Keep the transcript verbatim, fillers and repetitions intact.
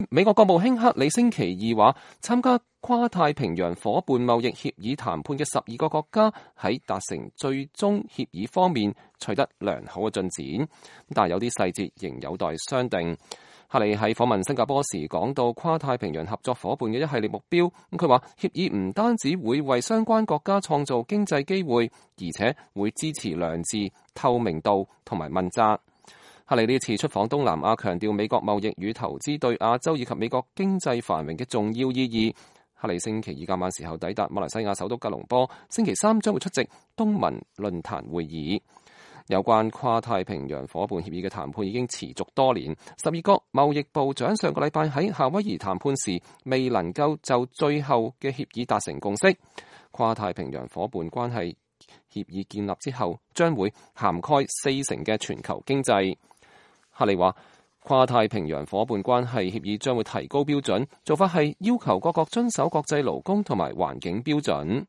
美國國務卿克里星期二話，參加跨太平洋夥伴貿易協議談判嘅十二個國家喺達成最終協議方面取得良好嘅進展，但係有啲細節仍有待商定。克里喺訪問新加坡時講到跨太平洋合作夥伴嘅一系列目標，咁佢話協議唔單止會為相關國家創造經濟機會，而且會支持良治、透明度同埋問責。克里呢次出訪東南亞，強調美國貿易與投資對亞洲以及美國經濟繁榮嘅重要意義。克里星期二傍晚時候抵達馬來西亞首都吉隆坡，星期三將會出席東盟論壇會議。有關跨太平洋夥伴協議嘅談判已經持續多年，十二國貿易部長上個禮拜喺夏威夷談判時未能夠就最後嘅協議達成共識。跨太平洋夥伴關係協議建立之後，將會涵蓋四成嘅全球經濟。克里話，跨太平洋夥伴關係協議將會提高標準，做法係要求各國遵守國際勞工同埋環境標準。